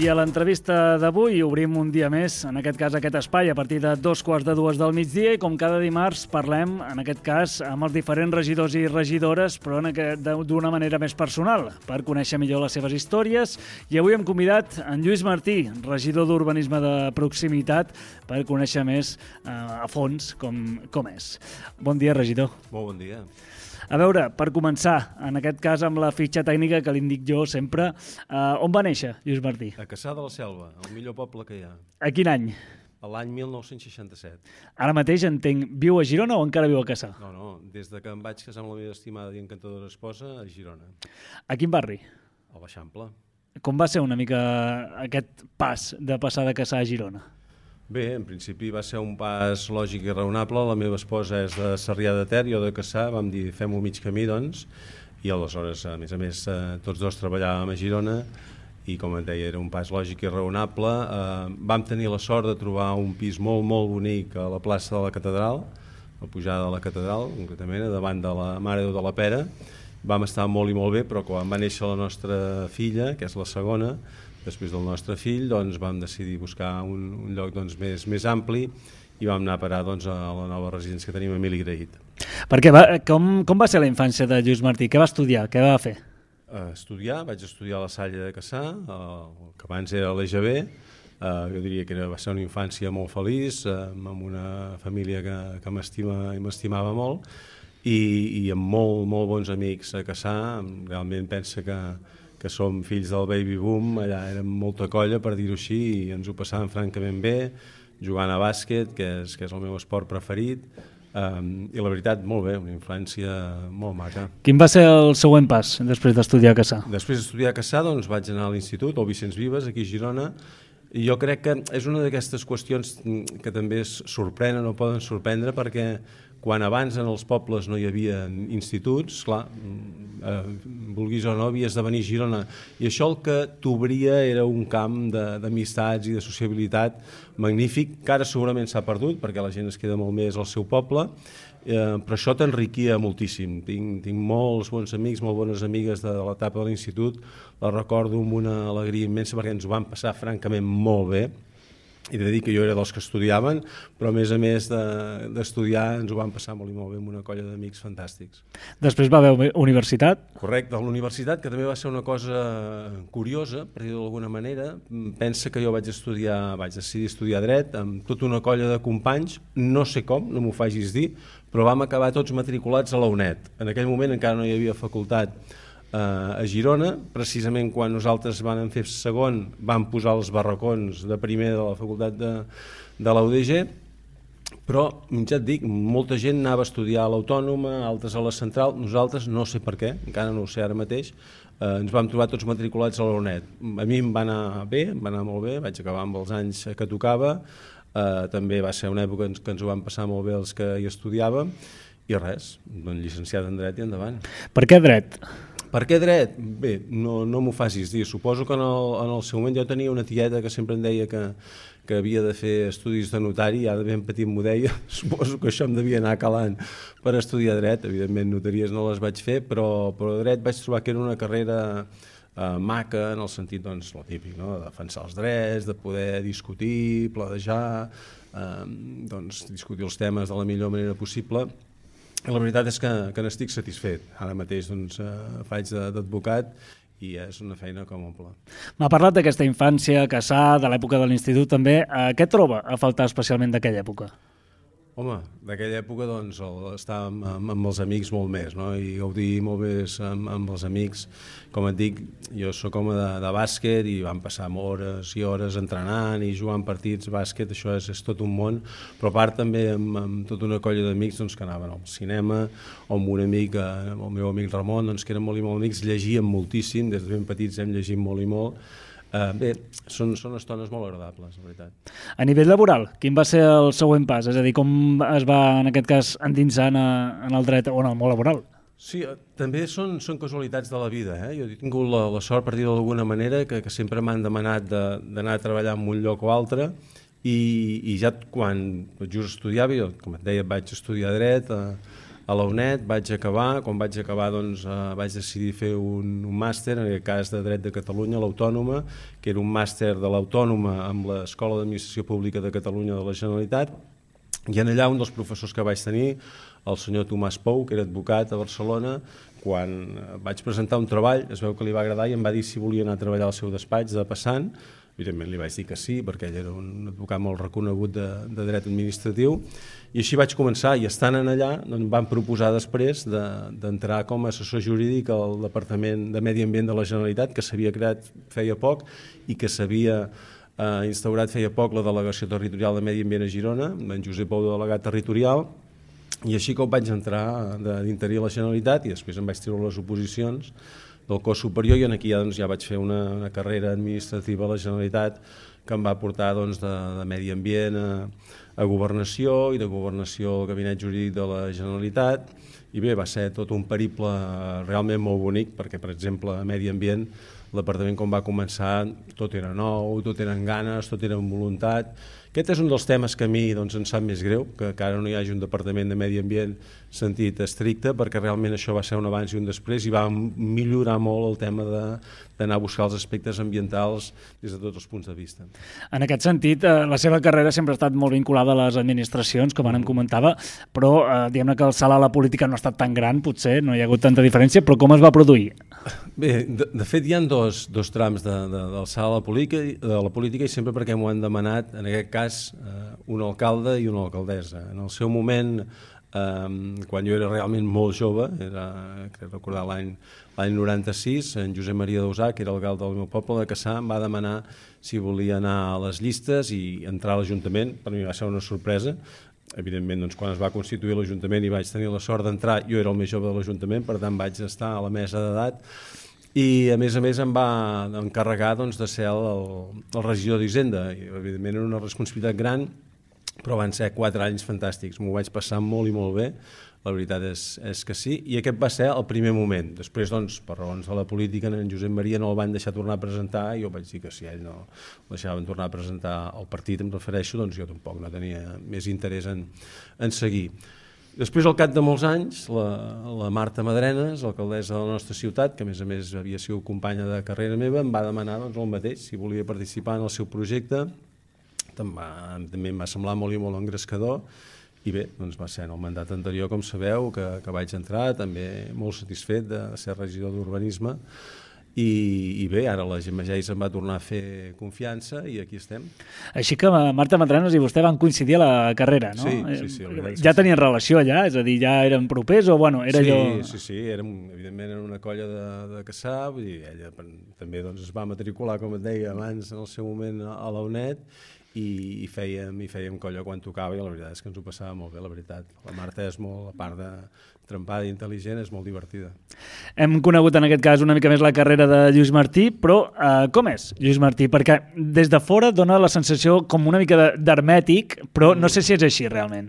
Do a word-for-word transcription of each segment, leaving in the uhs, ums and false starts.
I a l'entrevista d'avui obrim un dia més, en aquest cas aquest espai, a partir de dos quarts de dues del migdia, i com cada dimarts parlem, en aquest cas, amb els diferents regidors i regidores, però d'una manera més personal, per conèixer millor les seves històries. I avui hem convidat en Lluís Martí, regidor d'Urbanisme de Proximitat, per conèixer més eh, a fons com, com és. Bon dia, regidor. Molt bon dia. A veure, per començar, en aquest cas amb la fitxa tècnica que li indic jo sempre, eh, on va néixer Lluís Martí? A Cassà de la Selva, el millor poble que hi ha. A quin any? A l'any mil nou-cents seixanta-set. Ara mateix entenc, viu a Girona o encara viu a Cassà? No, no, des de que em vaig casar amb la meva estimada i encantadora esposa, a Girona. A quin barri? A l'Eixample. Com va ser una mica aquest pas de passar de Cassà a Girona? Bé, en principi va ser un pas lògic i raonable. La meva esposa és de Sarrià de Ter, jo de Cassà, vam dir fem-ho mig camí, doncs, i aleshores, a més a més, tots dos treballàvem a Girona i, com et deia, era un pas lògic i raonable. Eh, vam tenir la sort de trobar un pis molt, molt bonic a la plaça de la Catedral, a pujada de la Catedral, concretament, davant de la Mare de Déu de la Pera. Vam estar molt i molt bé, però quan va néixer la nostra filla, que és la segona, després del nostre fill, doncs, vam decidir buscar un, un lloc doncs, més, més ampli i vam anar a parar doncs, a la nova residència que tenim a Emili Graït. Perquè va, com, com va ser la infància de Lluís Martí? Què va estudiar? Què va fer? Uh, estudiar, vaig estudiar a la Salle de Cassà, uh, que abans era l'E G B. Uh, jo diria que era, va ser una infància molt feliç, uh, amb una família que, que m'estima i m'estimava molt, i, i amb molt, molt bons amics a Cassà. Realment pensa que que som fills del baby boom, allà érem molta colla, per dir-ho així, i ens ho passàvem francament bé, jugant a bàsquet, que és, que és el meu esport preferit, um, i la veritat, molt bé, una infància molt maca. Quin va ser el següent pas, després d'estudiar a Cassà? Després d'estudiar a Cassà, doncs, vaig anar a l'institut, al Vicenç Vives, aquí a Girona, i jo crec que és una d'aquestes qüestions que també sorprenen o poden sorprendre, perquè quan abans en els pobles no hi havia instituts, clar, eh, vulguis o no, havies de venir a Girona. I això el que t'obria era un camp d'amistats i de sociabilitat magnífic, que ara segurament s'ha perdut, perquè la gent es queda molt més al seu poble, eh, però això t'enriquia moltíssim. Tinc, tinc molts bons amics, molt bones amigues de, de l'etapa de l'institut, les recordo amb una alegria immensa perquè ens ho vam passar francament molt bé. I he de dir que jo era dels que estudiaven, però a més a més d'estudiar ens ho vam passar molt i molt bé amb una colla d'amics fantàstics. Després va haver universitat? Correcte, a la universitat, que també va ser una cosa curiosa, per dir-ho d'alguna manera. Pensa que jo vaig estudiar, vaig decidir estudiar dret amb tota una colla de companys, no sé com, no m'ho facis dir, però vam acabar tots matriculats a la UNED. En aquell moment encara no hi havia facultat a Girona, precisament quan nosaltres vam fer segon vam posar els barracons de primer de la facultat de, de la U D G, però ja et dic, molta gent anava a estudiar a l'Autònoma, altres a la Central, nosaltres no sé per què, encara no ho sé ara mateix, eh, ens vam trobar tots matriculats a la UNED. A mi em va anar bé, em va anar molt bé, vaig acabar amb els anys que tocava, eh, també va ser una època que ens ho vam passar molt bé els que hi estudiàvem, i res, doncs llicenciat en dret i endavant. Per què dret? Per què dret? Bé, no, no m'ho facis dir. Suposo que en el, en el seu moment jo tenia una tieta que sempre em deia que, que havia de fer estudis de notari, i ara ben petit m'ho deia, suposo que això em devia anar calant per estudiar dret. Evidentment notaries no les vaig fer, però, però dret vaig trobar que era una carrera eh, maca, en el sentit, doncs, lo típic, no? De defensar els drets, de poder discutir, pledejar, eh, doncs, discutir els temes de la millor manera possible. La veritat és que, que n'estic satisfet. Ara mateix doncs, eh, faig d'advocat i és una feina que m'omple. M'ha parlat d'aquesta infància a Cassà, de l'època de l'institut també. Eh, què troba a faltar especialment d'aquella època? Home, d'aquella època doncs, el, estar amb, amb, amb els amics molt més, no? I gaudir molt més amb, amb els amics. Com et dic, jo sóc home de, de bàsquet i vam passar hores i hores entrenant i jugant partits, bàsquet, això és, és tot un món, però a part també amb, amb tota una colla d'amics doncs, que anaven al cinema, o amb un amic, eh, el meu amic Ramon, doncs, que eren molt i molt amics, llegíem moltíssim, des de ben petits hem llegit molt i molt. Uh, bé, són, són estones molt agradables, la veritat. A nivell laboral, quin va ser el següent pas? És a dir, com es va, en aquest cas, endinsant a, en el dret o en el món laboral? Sí, també són, són casualitats de la vida. Eh? Jo he tingut la, la sort, per dir d'alguna manera, que, que sempre m'han demanat d'anar a treballar en un lloc o altre, i, i ja quan just estudiava, jo, com et deia, vaig estudiar dret a, a la UNED, vaig acabar, quan vaig acabar doncs, eh, vaig decidir fer un, un màster, en aquest cas de Dret de Catalunya, l'Autònoma, que era un màster de l'Autònoma amb l'Escola d'Administració Pública de Catalunya de la Generalitat, i en allà un dels professors que vaig tenir, el senyor Tomàs Pou, que era advocat a Barcelona, quan vaig presentar un treball, es veu que li va agradar i em va dir si volia anar a treballar al seu despatx de passant. Evidentment li vaig dir que sí, perquè ell era un advocat molt reconegut de, de dret administratiu, i així vaig començar, i estant en allà doncs, em van proposar després d'entrar de, com a assessor jurídic al Departament de Medi Ambient de la Generalitat, que s'havia creat feia poc i que s'havia eh, instaurat feia poc la Delegació Territorial de Medi Ambient a Girona, amb en Josep Pou, delegat territorial, i així com vaig entrar d'interí a la Generalitat, i després em vaig treure les oposicions del cos superior, i aquí ja, doncs, ja vaig fer una, una carrera administrativa a la Generalitat que em va portar doncs, de, de Medi Ambient a, a Governació, i de Governació al Gabinet Jurídic de la Generalitat, i bé, va ser tot un periple realment molt bonic, perquè per exemple a Medi Ambient el departament quan va començar tot era nou, tot eren ganes, tot era amb voluntat. Aquest és un dels temes que a mi doncs, em sap més greu, que encara no hi hagi un departament de Medi Ambient sentit estricte, perquè realment això va ser un abans i un després i va millorar molt el tema d'anar a buscar els aspectes ambientals des de tots els punts de vista. En aquest sentit, eh, la seva carrera sempre ha estat molt vinculada a les administracions, com ara em comentava, però eh, diguem-ne que el salt a la política no ha estat tan gran, potser, no hi ha hagut tanta diferència, però com es va produir? Bé, de, de fet hi ha dos, dos trams de, de, del salt a la política, de la política i sempre perquè m'ho han demanat, en aquest cas, eh, un alcalde i una alcaldessa. En el seu moment, eh, quan jo era realment molt jove, era, crec recordar l'any l'any noranta-sis, en Josep Maria Dausà, que era l'alcalde del meu poble de Cassà, em va demanar si volia anar a les llistes i entrar a l'Ajuntament. Per mi va ser una sorpresa. Evidentment, doncs, quan es va constituir l'Ajuntament i vaig tenir la sort d'entrar, jo era el més jove de l'Ajuntament, per tant vaig estar a la mesa d'edat, i a més a més em va encarregar doncs, de ser el, el regidor d'Hisenda. Evidentment era una responsabilitat gran, però van ser quatre anys fantàstics, m'ho vaig passar molt i molt bé, la veritat és, és que sí, i aquest va ser el primer moment. Després, doncs, per raons de la política, en Josep Maria no el van deixar tornar a presentar, i jo vaig dir que si ell no el deixaven tornar a presentar al partit, em refereixo, doncs jo tampoc no tenia més interès en, en seguir. Després, al cap de molts anys, la, la Marta Madrenes, alcaldessa de la nostra ciutat, que a més a més havia sigut companya de carrera meva, em va demanar doncs, el mateix, si volia participar en el seu projecte. També, també em va semblar molt i molt engrescador, i bé, doncs va ser en el mandat anterior, com sabeu, que, que vaig entrar, també molt satisfet de ser regidor d'Urbanisme, i, i bé, ara la Gemma Geis em va tornar a fer confiança i aquí estem. Així que Marta Madrenes i vostè van coincidir a la carrera, no? Sí, sí, sí. Ja tenien relació allà? És a dir, ja eren propers o, bueno, era sí, allò... Sí, sí, érem, evidentment era una colla de, de Cassà, vull dir, ella també doncs, es va matricular, com et deia abans, en el seu moment a la UNED, i fèiem, i fèiem colla quan tocava, i la veritat és que ens ho passava molt bé, la veritat. La Marta és molt, a part de trempada i intel·ligent, és molt divertida. Hem conegut en aquest cas una mica més la carrera de Lluís Martí, però eh, com és Lluís Martí? Perquè des de fora dona la sensació com una mica d'hermètic, però no sé si és així realment.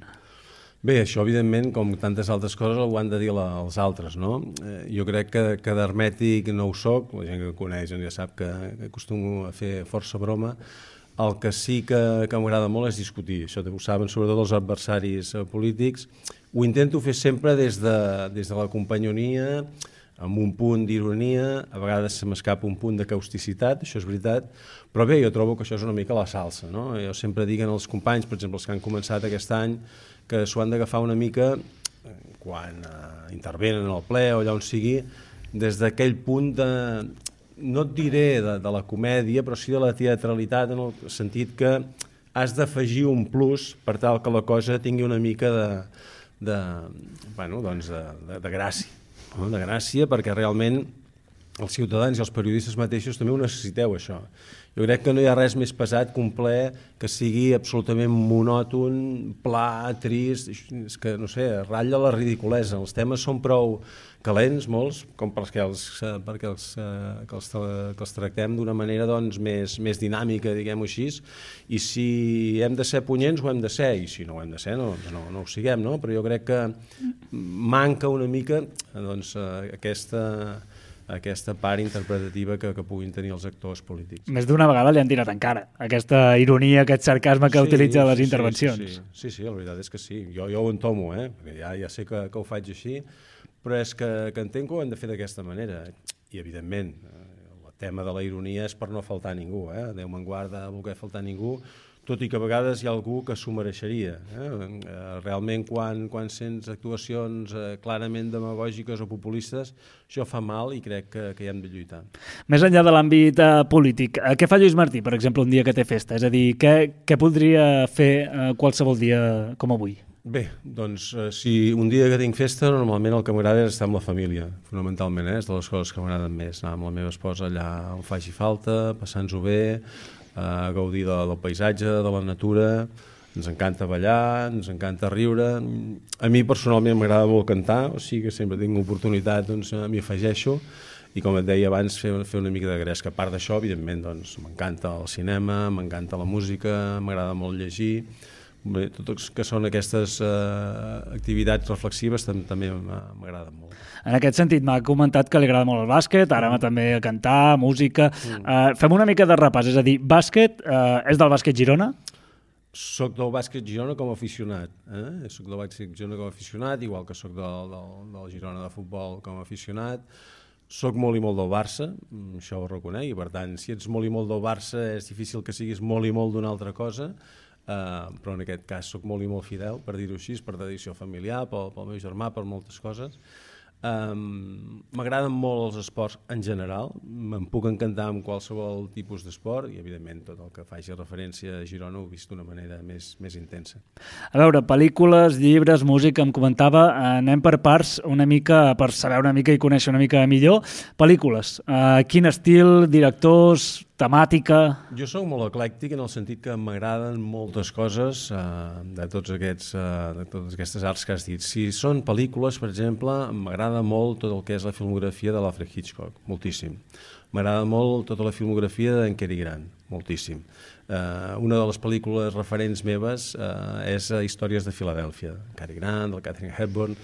Bé, això evidentment, com tantes altres coses, ho han de dir la, els altres, no? Eh, jo crec que, que d'hermètic no ho soc, la gent que coneix ja sap que, que acostumo a fer força broma. El que sí que, que m'agrada molt és discutir, això ho saben sobretot els adversaris polítics. Ho intento fer sempre des de, des de la companyonia, amb un punt d'ironia, a vegades se m'escapa un punt de causticitat, això és veritat, però bé, jo trobo que això és una mica la salsa, no? Jo sempre dic als companys, per exemple, els que han començat aquest any, que s'ho han d'agafar una mica quan eh, intervenen en el ple o allà on sigui, des d'aquell punt de... no et diré de, de la comèdia, però sí de la teatralitat, en el sentit que has d'afegir un plus per tal que la cosa tingui una mica de, de, bueno, doncs de, de, de gràcia, no? De gràcia, perquè realment els ciutadans i els periodistes mateixos també ho necessiteu, això. Jo crec que no hi ha res més pesat que un ple que sigui absolutament monòton, pla, trist, és que, no sé, ratlla la ridiculesa. Els temes són prou calents, molts, com perquè els, perquè els, que els, que els tractem d'una manera doncs, més, més dinàmica, diguem-ho així, i si hem de ser punyents ho hem de ser, i si no ho hem de ser no, no, no ho siguem, no? Però jo crec que manca una mica doncs, aquesta, aquesta part interpretativa que, que puguin tenir els actors polítics. Més d'una vegada li han tirat en cara aquesta ironia, aquest sarcasme que sí, utilitza les sí, intervencions. Sí sí, sí, sí, sí, la veritat és que sí. Jo, jo ho entomo, eh? Perquè ja, ja sé que, que ho faig així, però és que, que entenc que ho hem de fer d'aquesta manera. I, evidentment, el tema de la ironia és per no faltar a ningú, eh? Déu me'n guarda voler faltar a ningú, tot i que a vegades hi ha algú que s'ho mereixeria. Eh? Realment, quan, quan sents actuacions eh, clarament demagògiques o populistes, això fa mal i crec que, que hi hem de lluitar. Més enllà de l'àmbit eh, polític, eh, què fa Lluís Martí, per exemple, un dia que té festa? És a dir, què, què podria fer eh, qualsevol dia com avui? Bé, doncs, eh, si un dia que tinc festa, normalment el que m'agrada és estar amb la família, fonamentalment, eh? És de les coses que m'agraden més, anar amb la meva esposa allà on faci falta, passant-ho bé, a gaudir de, del paisatge, de la natura. Ens encanta ballar, ens encanta riure. A mi personalment m'agrada molt cantar, o sigui que sempre tinc oportunitat, doncs m'hi afegeixo, i com et deia abans, fer, fer una mica de gresca. A part d'això, evidentment, doncs, m'encanta el cinema, m'encanta la música, m'agrada molt llegir. Bé, tot que són aquestes uh, activitats reflexives també m'agraden molt. En aquest sentit, m'ha comentat que li agrada molt el bàsquet, ara mm. també a cantar, música. Mm. Uh, fem una mica de repàs, és a dir, bàsquet, uh, és del bàsquet Girona? Soc del bàsquet Girona com a aficionat. Eh? Soc del bàsquet Girona com a aficionat, igual que soc del, del, del Girona de futbol com a aficionat. Soc molt i molt del Barça, això ho reconec, i per tant, si ets molt i molt del Barça és difícil que siguis molt i molt d'una altra cosa. Uh, però en aquest cas soc molt i molt fidel, per dir-ho així, per tradició familiar, pel, pel meu germà, per moltes coses. Um, M'agraden molt els esports en general, me'n puc encantar amb qualsevol tipus d'esport i evidentment tot el que faci referència a Girona ho he vist d'una manera més, més intensa. A veure, pel·lícules, llibres, música, em comentava, anem per parts una mica, per saber una mica i conèixer una mica millor. Pel·lícules, uh, quin estil, directors, temàtica? Jo soc molt eclèctic en el sentit que m'agraden moltes coses uh, de, tots aquests, uh, de totes aquestes arts que has dit. Si són pel·lícules, per exemple, m'agrada molt tot el que és la filmografia de l'Alfred Hitchcock, moltíssim. M'agrada molt tota la filmografia d'en Cary Grant, moltíssim. Uh, una de les pel·lícules referents meves uh, és Històries de Filadèlfia, Cary Grant, del Katharine Hepburn.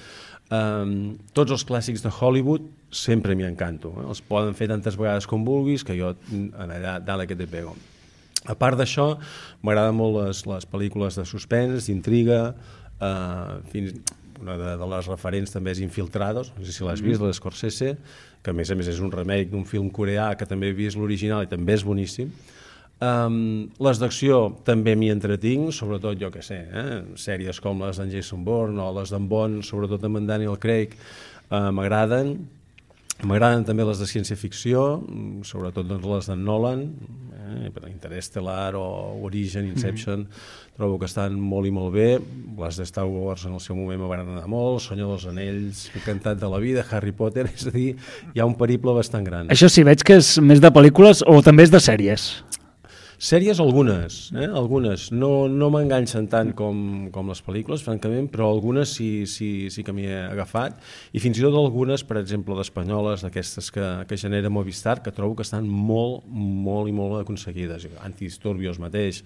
Um, tots els clàssics de Hollywood sempre m'hi encanto, eh? Els poden fer tantes vegades com vulguis que jo allà dale que te pego. A part d'això, m'agraden molt les, les pel·lícules de suspens, d'intriga, uh, fins una de, de les referents també és Infiltrados, no sé si l'has vist, mm. l'Scorsese, que a més a més és un remake d'un film coreà que també he vist l'original i també és boníssim. Um, les d'acció també m'hi entretinc, sobretot jo que sé, eh? Sèries com les d'en Jason Bourne o les d'en Bond, sobretot amb en Daniel Craig, uh, m'agraden. M'agraden també les de ciència-ficció, sobretot doncs, les d'en Nolan, eh? Interstellar o Origen, Inception, mm-hmm. trobo que estan molt i molt bé. Les de Star Wars en el seu moment m'agraden molt, Senyor dels Anells, Encantat de la vida, Harry Potter, és a dir, hi ha un periple bastant gran. Això sí, veig que és més de pel·lícules o també és de sèries? Sèries algunes, eh? algunes. No, no m'enganxen tant com, com les pel·lícules, francament, però algunes sí, sí, sí que m'hi he agafat. I fins i tot algunes, per exemple, d'espanyoles, d'aquestes que, que genera Movistar, que trobo que estan molt, molt i molt aconseguides. Antidisturbios mateix,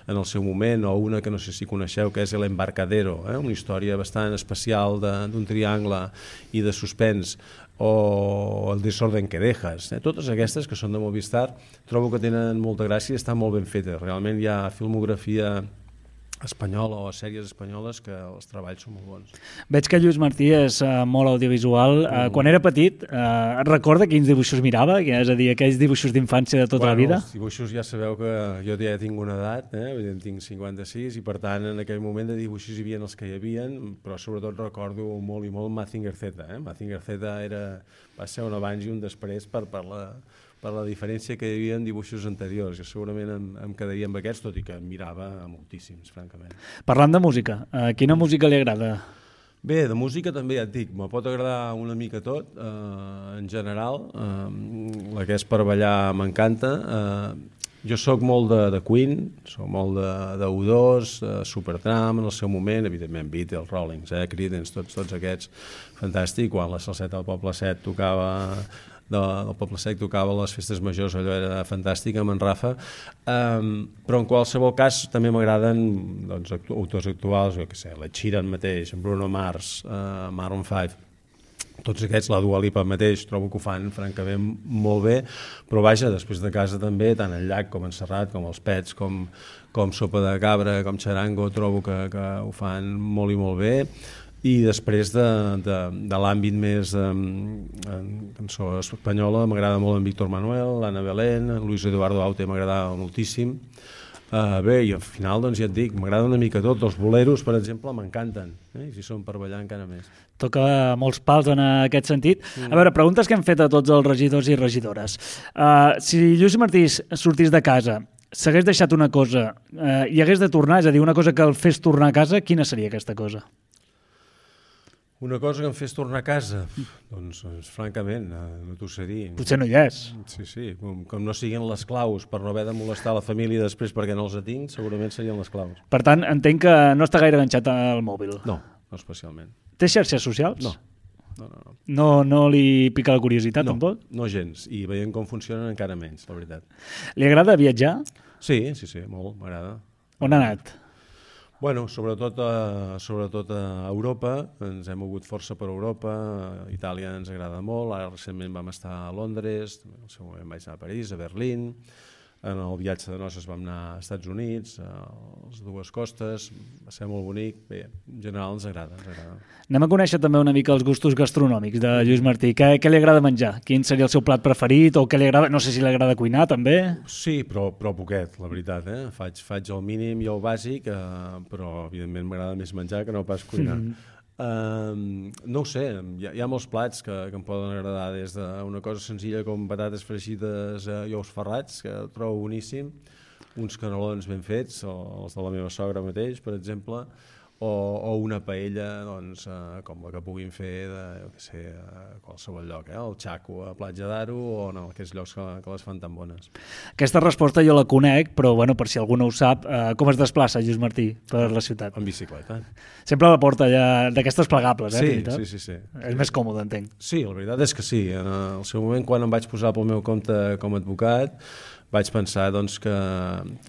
en el seu moment, o una que no sé si coneixeu, que és El Embarcadero, eh? Una història bastant especial d'un triangle i de suspens, o El desorden que dejas. Eh? Totes aquestes que són de Movistar trobo que tenen molta gràcia i estan molt ben fetes. Realment hi ha filmografia espanyola o sèries espanyoles que els treballs són molt bons. Veig que Lluís Martí és uh, molt audiovisual. Uh, mm. Quan era petit, uh, et recorda quins dibuixos mirava? És a dir, aquells dibuixos d'infància de tota bueno, la vida? Els dibuixos ja sabeu que jo ja tinc una edat, eh? En tinc cinquanta-sis, i per tant en aquell moment de dibuixos hi havia els que hi havia, però sobretot recordo molt i molt Mazinger Z. Eh? Mazinger Z era, va ser un abans i un després per, per la... per la diferència que hi havia en dibuixos anteriors. Jo segurament em, em quedaria amb aquests, tot i que em mirava moltíssims, francament. Parlant de música, uh, quina música li agrada? Bé, de música també ja et dic, me pot agradar una mica tot, eh, en general. Eh, la que és per ballar m'encanta. Eh, jo sóc molt de, de Queen, sóc molt de, de U dos, de Supertramp en el seu moment, evidentment Beatles, Rollings, eh, Creedence, tots, tots aquests, fantàstic. Quan la Salseta del Poble Sec tocava... del Poble Sec tocava les festes majors, allò era fantàstic amb en Rafa, um, però en qualsevol cas també m'agraden doncs, autors actuals, jo què sé, la Sheeran mateix, Bruno Mars, uh, Maroon five, tots aquests, la Dua Lipa mateix, trobo que ho fan francament molt bé, però vaja, després de casa també, tant el llac com en Serrat, com els Pets, com, com Sopa de Cabra, com Charango, trobo que, que ho fan molt i molt bé. I després de, de, de l'àmbit més um, en cançó espanyola, m'agrada molt en Víctor Manuel, l'Anna Belén, en Luis Eduardo Aute m'agrada moltíssim. Uh, bé, i al final, doncs ja et dic, m'agrada una mica tot. Els boleros, per exemple, m'encanten, eh? I si són per ballar encara més. Toca molts pals en aquest sentit. Mm. A veure, preguntes que hem fet a tots els regidors i regidores. Uh, si Lluís Martí sortís de casa, s'hagués deixat una cosa uh, i hagués de tornar, és a dir, una cosa que el fes tornar a casa, quina seria aquesta cosa? Una cosa que em fes tornar a casa? Doncs, doncs francament, no t'ho sé dir. Potser no hi és. Sí, sí, com, com no siguin les claus per no haver de molestar la família després perquè no els tinc, segurament serien les claus. Per tant, entenc que no està gaire enganxat al mòbil. No, no especialment. Té xarxes socials? No. No, no, no. No, no li pica la curiositat, no, tampoc? No gens, i veient com funcionen encara menys, la veritat. Li agrada viatjar? Sí, sí, sí, molt, m'agrada. On ha anat? Bueno, sobretot a, sobretot a Europa, ens hem mogut força per Europa, a Itàlia ens agrada molt, ara recentment vam estar a Londres, en el seu moment vaig anar a París, a Berlín, en el viatge de noces vam anar als Estats Units, a les dues costes, va ser molt bonic, bé, en general ens agrada, ens agrada. Anem a conèixer també una mica els gustos gastronòmics de Lluís Martí. Què, què li agrada menjar? Quin seria el seu plat preferit? O què li agrada? No sé si li agrada cuinar, també? Sí, però, però poquet, la veritat. Eh? Faig, faig el mínim i el bàsic, eh, però evidentment m'agrada més menjar que no pas cuinar. Mm. Uh, no ho sé, hi ha, hi ha molts plats que, que em poden agradar, des d'una cosa senzilla com patates fregides uh, i ous ferrats, que trobo boníssim, uns canelons ben fets, o els de la meva sogra mateix, per exemple, o, o una paella, doncs, uh, com la que puguin fer de, jo què sé, a qualsevol lloc, eh? El Xaco a Platja d'Aro, o en aquests llocs que, que les fan tan bones. Aquesta resposta jo la conec, però bueno, per si algú no ho sap, uh, com es desplaça Lluís Martí per la ciutat? En bicicleta. Sempre la porta ja d'aquestes plegables, eh? Sí, sí, sí, sí. És més còmode, entenc. Sí, la veritat és que sí. En el seu moment, quan em vaig posar pel meu compte com a advocat, vaig pensar doncs, que,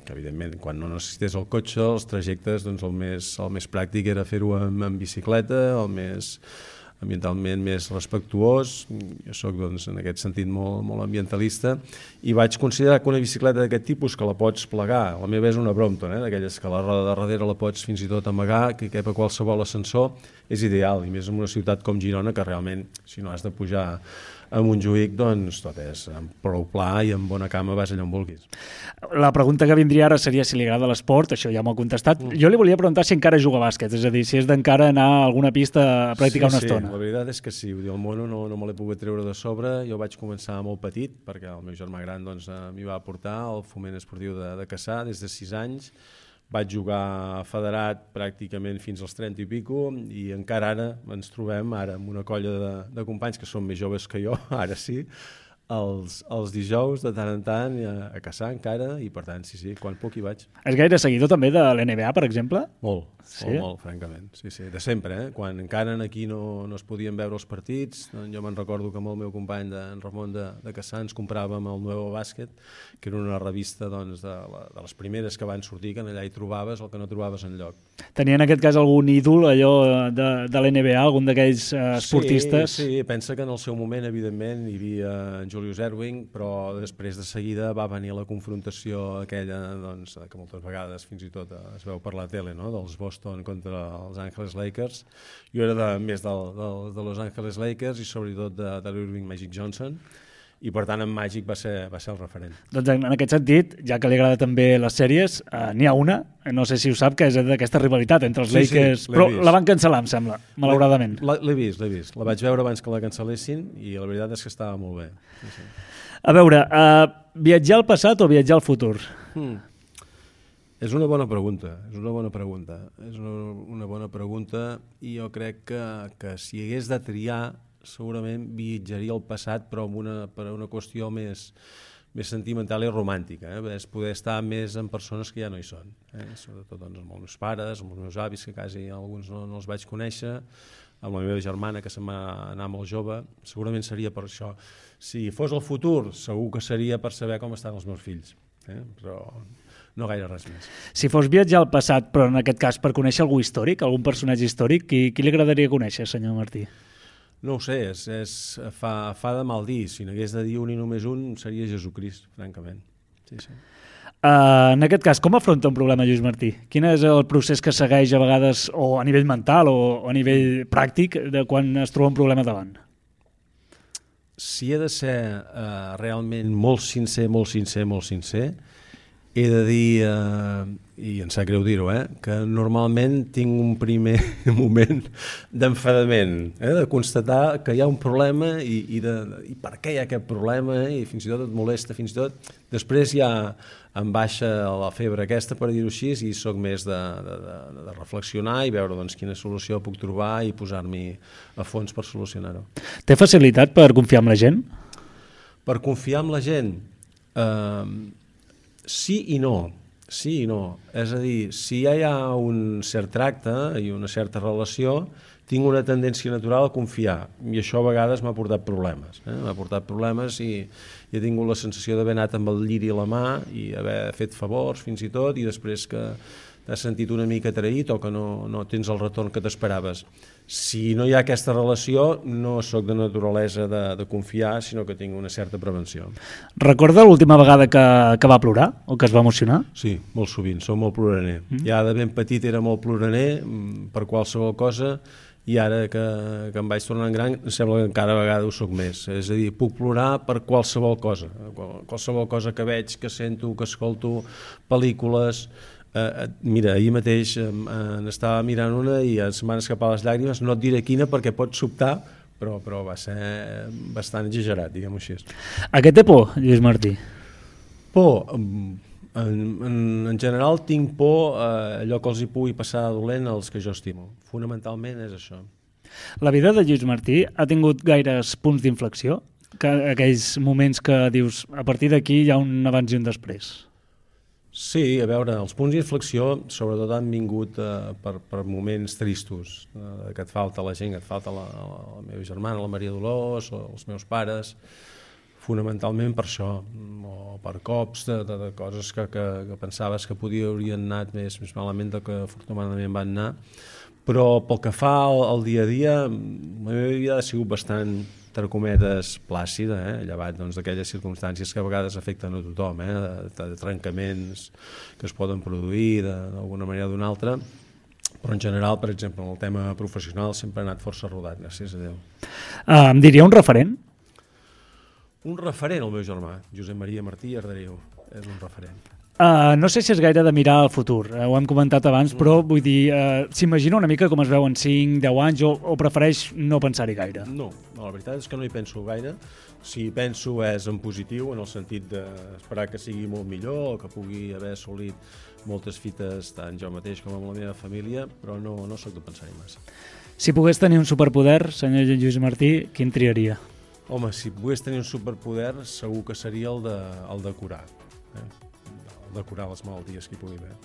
que, evidentment, quan no necessités el cotxe, els trajectes, doncs, el, més, el més pràctic era fer-ho en, en bicicleta, el més ambientalment més respectuós. Jo soc, doncs, en aquest sentit molt, molt ambientalista, i vaig considerar que una bicicleta d'aquest tipus, que la pots plegar, la meva és una Brompton, eh, d'aquelles que la roda de darrere la pots fins i tot amagar, que cap a qualsevol ascensor, és ideal, i més en una ciutat com Girona, que realment, si no has de pujar a Montjuïc, doncs tot és amb prou pla i amb bona cama vas allà on vulguis. La pregunta que vindria ara seria si li agrada l'esport, això ja m'ho ha contestat. Mm. Jo li volia preguntar si encara juga a bàsquet, és a dir, si és d'encara anar a alguna pista a practicar sí, una estona. Sí, la veritat és que sí, el mono no, no me l'he pogut treure de sobre. Jo vaig començar molt petit, perquè el meu germà gran doncs, m'hi va portar al foment esportiu de, de Cassà des de sis anys. Vaig jugar federat pràcticament fins als trenta i pico, i encara ara ens trobem ara amb una colla de, de companys que són més joves que jo, ara sí, els, els dijous de tant en tant a, a caçar encara, i per tant, sí, sí, quan puc hi vaig. És gaire seguidor també de l'N B A, per exemple? Molt, sí? molt, molt, francament. Sí, sí, de sempre, eh? Quan encara aquí no, no es podien veure els partits, doncs jo me'n recordo que amb el meu company, de, en Ramon de, de Cassà, ens compràvem el Nuevo Bàsquet, que era una revista doncs, de, la, de les primeres que van sortir, que allà hi trobaves el que no trobaves enlloc. Tenia en aquest cas algun ídol, allò de, de l'N B A, algun d'aquells eh, esportistes? Sí, sí, pensa que en el seu moment, evidentment, hi havia en Julius Erving, però després de seguida va venir la confrontació aquella, doncs, que moltes vegades fins i tot es veu per la tele, no? Dels Boston contra els Angeles Lakers. Jo era de, més del, del, de Los Angeles Lakers i sobretot de, de l'Irving Magic Johnson, i per tant en Magic va ser, va ser el referent. Doncs en aquest sentit, ja que li agrada també les sèries, eh, n'hi ha una, no sé si ho sap, que és d'aquesta rivalitat entre els sí, Lakers, sí, però vist. La van cancel·lar, em sembla, malauradament. L'he vist, l'he vist. La vaig veure abans que la cancel·lessin i la veritat és que estava molt bé. Sí, sí. A veure, uh, viatjar al passat o viatjar al futur? Hmm. És una bona pregunta, és una bona pregunta. És una, una bona pregunta, i jo crec que, que si hagués de triar, segurament viatjaria al passat, però amb una, per una qüestió més, més sentimental i romàntica, eh? És poder estar més amb persones que ja no hi són, eh? Sobretot doncs, amb els meus pares, amb els meus avis, que quasi alguns no, no els vaig conèixer, amb la meva germana, que se'n va anar molt jove. Segurament seria per això. Si fos el futur, segur que seria per saber com estan els meus fills, eh? Però no gaire res més. Si fos viatjar al passat, però en aquest cas per conèixer algú històric, algun personatge històric, qui, qui li agradaria conèixer, senyor Martí? No ho sé, és, és, fa, fa de mal dir. Si n'hagués de dir un i només un, seria Jesucrist, francament. Sí, sí. Uh, en aquest cas, com afronta un problema Lluís Martí? Quin és el procés que segueix a vegades, o a nivell mental o, o a nivell pràctic, de quan es troba un problema davant? Si he de ser uh, realment molt sincer, molt sincer, molt sincer, he de dir, uh, i em sap greu dir-ho, eh, que normalment tinc un primer moment d'enfadament, eh, de constatar que hi ha un problema i, i, de, i per què hi ha aquest problema, eh, i fins i tot et molesta, fins i tot. Després ja em baixa la febre aquesta, per dir-ho així, i soc més de, de, de, de reflexionar i veure doncs, quina solució puc trobar i posar-m'hi a fons per solucionar-ho. Té facilitat per confiar en la gent? Per confiar en la gent? Eh, sí i no. Sí i no. És a dir, si ja hi ha un cert tracte i una certa relació, tinc una tendència natural a confiar, i això a vegades m'ha portat problemes. Eh? M'ha portat problemes i, i he tingut la sensació d'haver anat amb el lliri a la mà i haver fet favors fins i tot, i després que t'has sentit una mica traït o que no, no tens el retorn que t'esperaves. Si no hi ha aquesta relació, no sóc de naturalesa de, de confiar, sinó que tinc una certa prevenció. Recorda l'última vegada que, que va plorar o que es va emocionar? Sí, molt sovint, soc molt ploraner. Mm. Ja de ben petit era molt ploraner per qualsevol cosa, i ara que, que em vaig tornant gran em sembla que encara a vegades ho soc més. És a dir, puc plorar per qualsevol cosa, qualsevol cosa que veig, que sento, que escolto, pel·lícules. Uh, mira, ahir mateix uh, n'estava mirant una i em van escapar les llàgrimes, no et diré quina perquè pot sobtar, però, però va ser bastant exagerat, diguem-ho així. A què té por, Lluís Martí? Por? En, en, en general tinc por a allò que els hi pugui passar dolent als que jo estimo. Fonamentalment és això. La vida de Lluís Martí ha tingut gaires punts d'inflexió? Que, aquells moments que dius, a partir d'aquí hi ha un abans i un després? Sí, a veure, els punts d'inflexió sobretot han vingut eh, per, per moments tristos, eh, que et falta la gent, que et falta la, la, la meva germana, la Maria Dolors, o els meus pares, fonamentalment per això, o per cops de, de, de coses que, que, que pensaves que podia, haurien anat més, més malament del que afortunadament van anar. Però pel que fa al, al dia a dia, la meva vida ha sigut bastant, entre cometes, plàcida, eh? llevat doncs, d'aquelles circumstàncies que a vegades afecten a tothom, eh? de, de, de trencaments que es poden produir d'alguna manera o d'una altra, però en general, per exemple, en el tema professional sempre ha anat força rodat, gràcies a Déu. Uh, em diria un referent? Un referent, el meu germà, Josep Maria Martí Arderiu, és un referent. Uh, no sé si és gaire de mirar al futur, uh, ho hem comentat abans, però vull dir, uh, s'imagina una mica com es veu en cinc, deu anys, o, o prefereix no pensar-hi gaire? No, no, la veritat és que no hi penso gaire. Si hi penso és en positiu, en el sentit d'esperar que sigui molt millor, o que pugui haver assolit moltes fites, tant jo mateix com amb la meva família, però no, no soc de pensar-hi massa. Si pogués tenir un superpoder, senyor Lluís Martí, quin triaria? Home, si pogués tenir un superpoder, segur que seria el de, el de curar. Eh? de curar les malalties que hi pugui haver.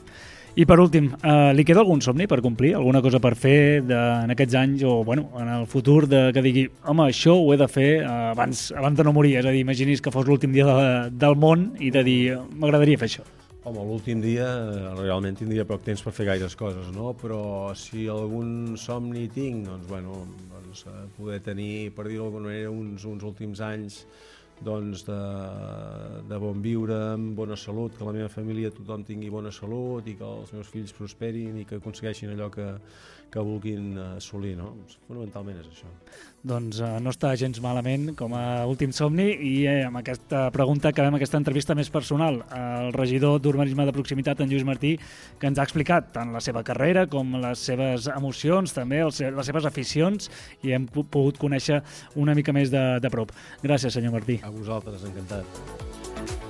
I per últim, eh, li queda algun somni per complir? Alguna cosa per fer de, en aquests anys o bueno, en el futur de, que digui, home, això ho he de fer eh, abans, abans de no morir? És a dir, imaginis que fos l'últim dia de, del món i de dir, m'agradaria fer això. Home, l'últim dia realment tindria poc temps per fer gaires coses, no? Però si algun somni tinc, doncs, bueno, doncs, poder tenir, per dir-ho d'alguna manera, uns, uns últims anys doncs de, de bon viure, amb bona salut, que la meva família tothom tingui bona salut i que els meus fills prosperin i que aconsegueixin allò que, que vulguin assolir, no? Fonamentalment és això. Doncs eh, no està gens malament com a últim somni i eh, amb aquesta pregunta acabem aquesta entrevista més personal. El regidor d'Urbanisme de Proximitat, en Lluís Martí, que ens ha explicat tant la seva carrera com les seves emocions, també els, les seves aficions, i hem pogut conèixer una mica més de, de prop. Gràcies, senyor Martí. A vosaltres, encantat.